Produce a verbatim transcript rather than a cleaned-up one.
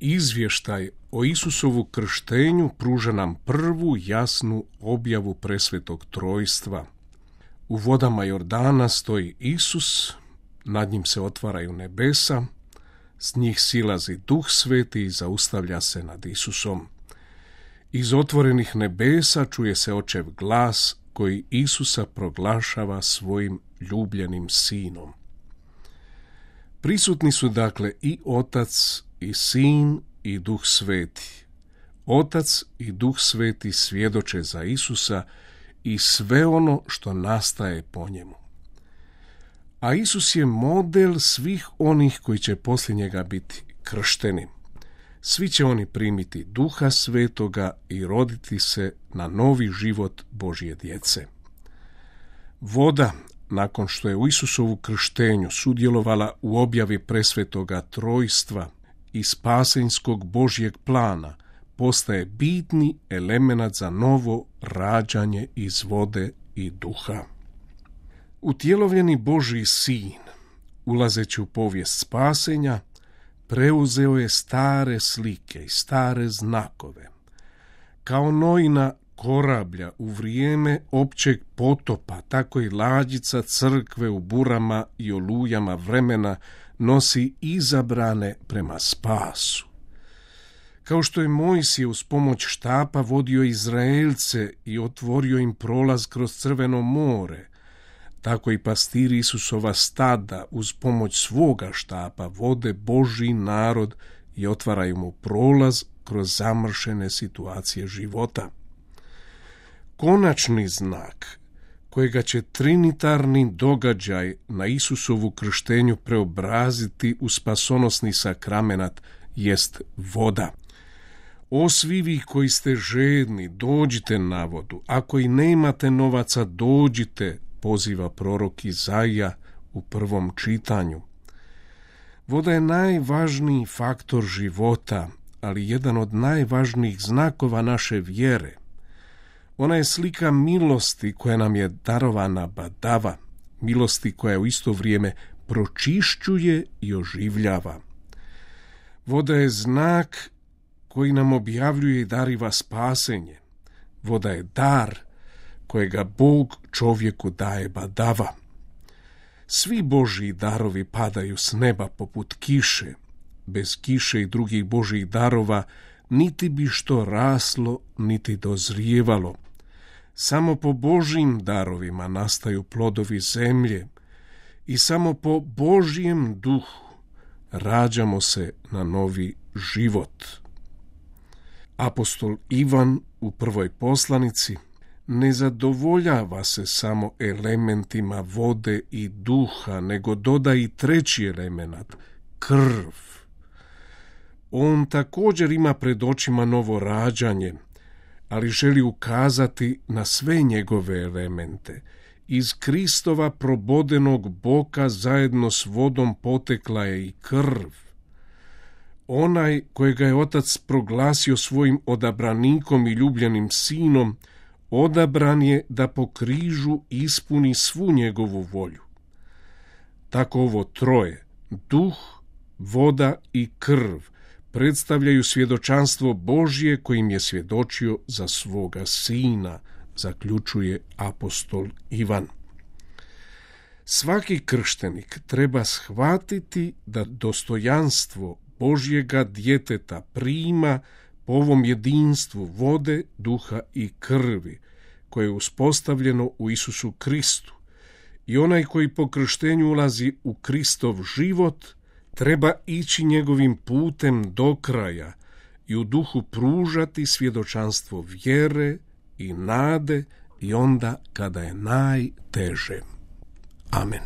izvještaj o Isusovu krštenju pruža nam prvu jasnu objavu presvetog trojstva. U vodama Jordana stoji Isus, nad njim se otvaraju nebesa, s njih silazi Duh Sveti i zaustavlja se nad Isusom. Iz otvorenih nebesa čuje se Očev glas koji Isusa proglašava svojim ljubljenim sinom. Prisutni su dakle i Otac, i Sin, i Duh Sveti. Otac i Duh Sveti svjedoče za Isusa i sve ono što nastaje po njemu. A Isus je model svih onih koji će poslije njega biti kršteni. Svi će oni primiti Duha Svetoga i roditi se na novi život Božje djece. Voda, nakon što je u Isusovu krštenju sudjelovala u objavi presvetoga trojstva i spasenjskog Božjeg plana, postaje bitni elemenat za novo rađanje iz vode i duha. Utjelovljeni Božji sin, ulazeći u povijest spasenja, preuzeo je stare slike i stare znakove. Kao Noina korablja u vrijeme općeg potopa, tako i lađica crkve u burama i olujama vremena nosi izabrane prema spasu. Kao što je Mojsije uz pomoć štapa vodio Izraelce i otvorio im prolaz kroz Crveno more, tako i pastiri Isusova stada uz pomoć svoga štapa vode Božji narod i otvaraju mu prolaz kroz zamršene situacije života. Konačni znak kojega će trinitarni događaj na Isusovu krštenju preobraziti u spasonosni sakramenat jest voda. O svi vi koji ste žedni, dođite na vodu, ako i nemate novaca, dođite, poziva prorok Izaija u prvom čitanju. Voda je najvažniji faktor života, ali jedan od najvažnijih znakova naše vjere. Ona je slika milosti koja nam je darovana badava, milosti koja u isto vrijeme pročišćuje i oživljava. Voda je znak koji nam objavljuje i dariva spasenje. Voda je dar kojega Bog čovjeku daje badava. Svi Božji darovi padaju s neba poput kiše. Bez kiše i drugih Božjih darova niti bi što raslo, niti dozrijevalo. Samo po Božjim darovima nastaju plodovi zemlje i samo po Božjem duhu rađamo se na novi život. Apostol Ivan u prvoj poslanici ne zadovoljava se samo elementima vode i duha, nego doda i treći element, krv. On također ima pred očima novo rađanje, ali želi ukazati na sve njegove elemente. Iz Kristova probodenog boka zajedno s vodom potekla je i krv. Onaj kojega je Otac proglasio svojim odabranikom i ljubljenim sinom, odabran je da po križu ispuni svu njegovu volju. Tako ovo troje, duh, voda i krv, predstavljaju svjedočanstvo Božje kojim je svjedočio za svoga sina, zaključuje apostol Ivan. Svaki krštenik treba shvatiti da dostojanstvo Božjega djeteta prima po ovom jedinstvu vode, duha i krvi, koje je uspostavljeno u Isusu Kristu. I onaj koji po krštenju ulazi u Kristov život, treba ići njegovim putem do kraja i u duhu pružati svjedočanstvo vjere i nade i onda kada je najteže. Amen.